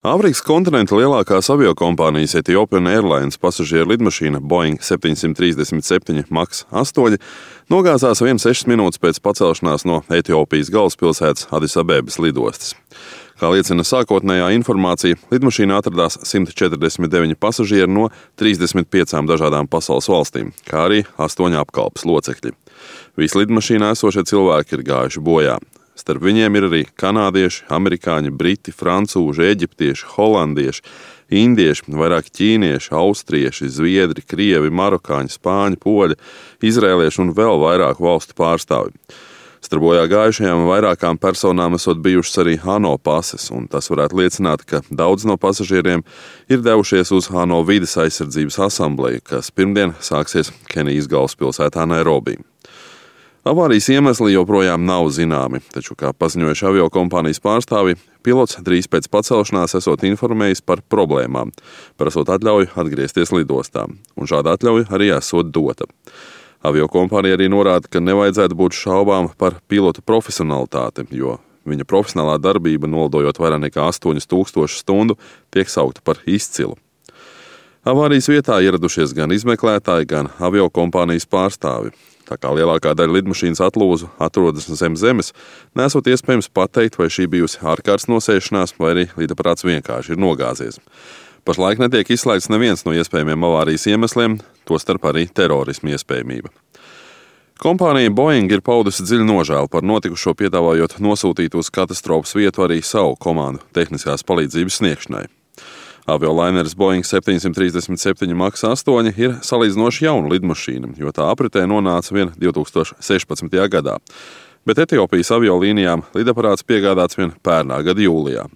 Āfrikas kontinenta lielākās aviokompānijas Ethiopian Airlines pasažieru lidmašīna Boeing 737 MAX 8 nogāzās 1,6 minūtes pēc pacelšanās no Etiopijas galvaspilsētas Adisabebas lidostas. Kā liecina sākotnējā informācija, lidmašīnā atradās 149 pasažieri no 35 dažādām pasaules valstīm, kā arī 8 apkalpes locekļi. Visi lidmašīnā esošie cilvēki ir gājuši bojā. Starp viņiem ir arī kanādieši, amerikāņi, briti, francūži, eģiptieši, holandieši, indieši, vairāk ķīnieši, austrieši, zviedri, krievi, marokāņi, spāņi, poļi, izrēlieši un vēl vairāk valstu pārstāvji. Starp bojā gājušajām vairākām personām esot bijušas arī ANO pases, un tas varētu liecināt, ka daudz no pasažieriem ir devušies uz ANO vides aizsardzības asambleju, kas pirmdien sāksies Kenijas galvaspilsētā Nairobi. Avārijas iemesli joprojām nav zināmi, taču, kā paziņojuši aviokompānijas pārstāvji, pilots drīz pēc pacelšanās esot informējis par problēmām, prasot atļauju atgriezties lidostā, un šāda atļauja arī esot dota. Aviokompānija arī norāda, ka nevajadzētu būt šaubām par pilota profesionalitāti, jo viņa profesionālā darbība, nolidojot vairāk nekā 8000 stundu, tiek saukta par izcilu. Avārijas vietā ieradušies gan izmeklētāji, gan aviokompānijas pārstāvi. Tā kā lielākā daļa lidmašīnas atlūzu atrodas zem zemes, nesot iespējams pateikt, vai šī bijusi ārkārtas nosēšanās, vai arī lidaparāts vienkārši ir nogāzies. Pašlaik netiek izslēgts neviens no iespējamiem avārijas iemesliem, tostarp arī terorisma iespējamība. Kompānija Boeing ir paudusi dziļu nožēlu par notikušo, piedāvājot nosūtīt uz katastrofas vietu arī savu komandu tehniskās palīdzības sniegšanai. Aviolaineris Boeing 737 MAX 8 ir salīdzinoši jauna lidmašīna, jo tā apritē nonāca vien 2016. gadā, bet Etiopijas aviolīnijām lidaparāts piegādāts vien pērnā gada jūlijā.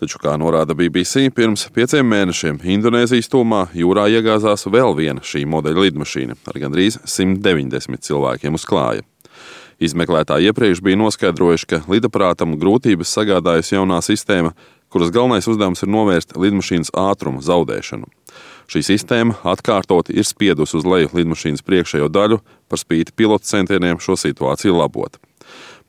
Taču, kā norāda BBC, pirms 5 mēnešiem Indonēzijas tūmā jūrā iegāzās vēl viena šī modeļa lidmašīna ar gandrīz 190 cilvēkiem uz klāja. Izmeklētāji iepriekš bija noskaidrojuši, ka lidaparātam grūtības sagādājusi jaunā sistēma, kuras galvenais uzdevums ir novērst lidmašīnas ātruma zaudēšanu. Šī sistēma atkārtoti ir spiedusi uz leju lidmašīnas priekšējo daļu, par spīti pilotu centieniem šo situāciju labot.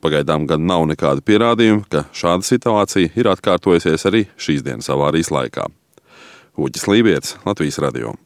Pagaidām gan nav nekāda pierādījuma, ka šāda situācija ir atkārtojusies arī šīs dienas avārijas laikā. Uģis Lībietis, Latvijas radio.